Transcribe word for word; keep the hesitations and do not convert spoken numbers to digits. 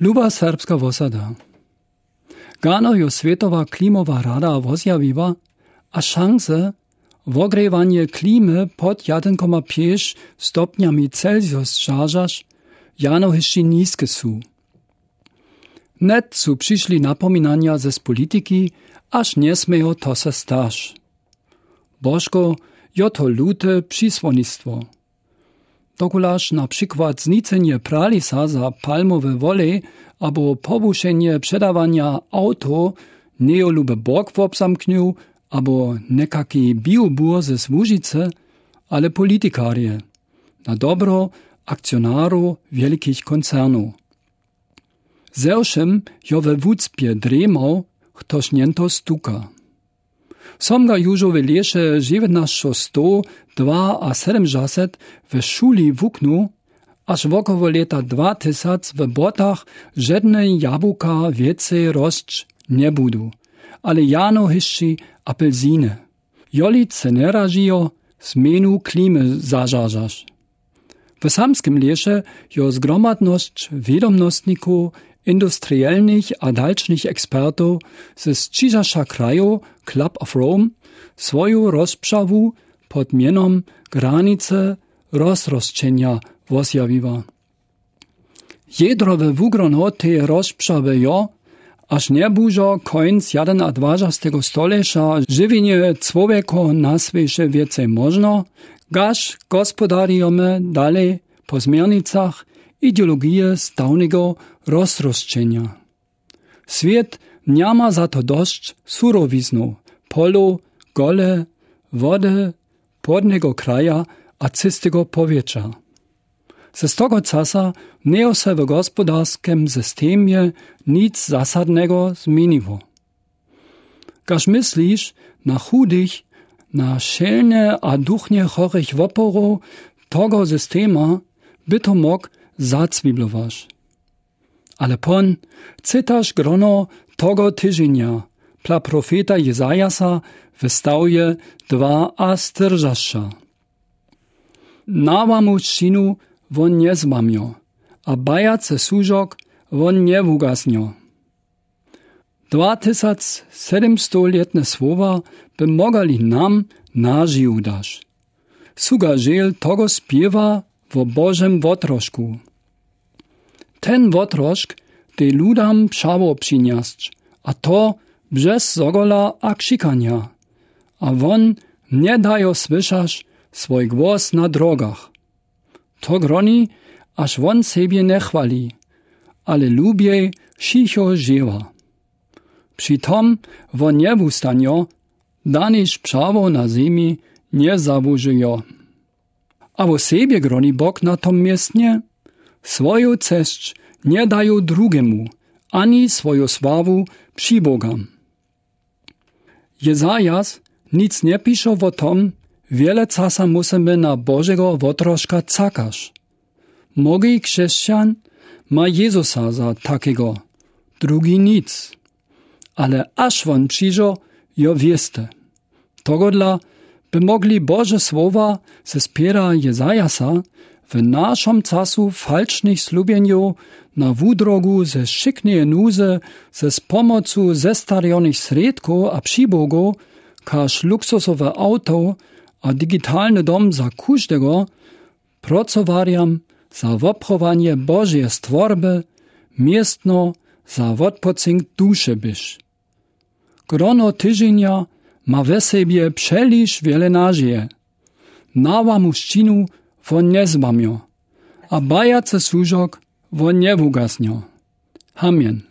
Luba serbska wosada. Gano jo swětowa klimowa rada wozjawiła, a šanse, wogrěwanje klimy pod jeden koma pjeć stopnjami Celsius žažaš, jano hišći niske su. Net su přišli napominanja zes politiki, aż njesmějo to se staš. Božko, jo to lute přisłonistwo. Dokulaž na przikład znicenje pralisa za palmowe wolej abo pobušenje předawanja awtow njejo lube bok wobzamknył abo někaki biobur ze słužicy, ale politikarje, na dobro akcionarow wielkich koncernow. Ze wšym jo we wucpje dremał chtoś njento stuka. Som ga južo w lěše dźewjatnašćo sto dwaasydymdźaset w šuli wuknył, aż wokoło lěta dwatysac w błotach žedne jabłka wěcej rosć njebudu, ale jano hišći apelsiny. Joli ce nje ražijo, změnu klimy zažažaš. W samskim lěše jo zgromadnosć wědomnostnikow, industrielnych a dalšnich ekspertow z ćižaša krajow, Club of Rome, swoju rozpřawu pod mjenom Granice rozrosćenja wozjawiła. Jedro we wugrono teje rozpřawy jo, aż njebužo końc jedynadwažastego stoleća žiwjenje człowjeka na swěće wěcej móžno, gaž gospodarjimy dalej po změrnicach ideologije stałnego rozrosćenja. Swět njama za to dosć surowiznow, polow, gole, wody, płodnego kraja a czystego powietrza. Ze z tego czasa njejo se w gospodarskim systemje nic zasadnego zmieniło. Gaž myslisz na chudych, na szelnje a duchnje chorych woporow tego systema, by to mógł zacwiblowaš. Ale pón, cytaš grono tego tyženia, pla profeta Jezajasa w stawje dwaastyrdzesćo. Nałamu sćinu wón njezłamio, a bajace służok wón njewugasnio. Dwatysac sedymstolětne słowa by mogali nam nażiju daš. Su ga žel tego spěwa wo Božym wotrošku. Ten wotrosk dej ludam přało přinjesć, a to bźez zogola a křikanja. A wón nje dajo słyšać swój głos na drogach. To groni, aż wón sebje nje chwali, ale lubjej wšicho žěła. Při tom wón nje wustanjo, daniž přało na zemi nje załužijo. A wo sebje groni Bóg na tom městnje, swoju cesć nje dajo drugemu, ani swoju sławu přibogam. Jezajas nic nje pišo wo tom, wiele casa musymy na Božego wotroska cakaš. Mnogi křesćan ma Jezusa za takigo, drugi nic. Ale aż wón přižo, jo wěste. Togodla by mogli Bože słowa ze spěra Jezajasa w našom casu falšnich slubjenjow na wudrogu ze wšikneje nuzy ze z pomocu zestarjonych srědkow a přibogow, kaž luksusowe awto a digitalny dom za kóždego, procowarjam za wopchowanje Božeje stworby, městno za wotpocynk duše byš. Grono tyženia ma we sebje přeliž wiele nažije. Nałamu sćinu wón njezłamio, a bajace służok wón njewugasnio. Amen.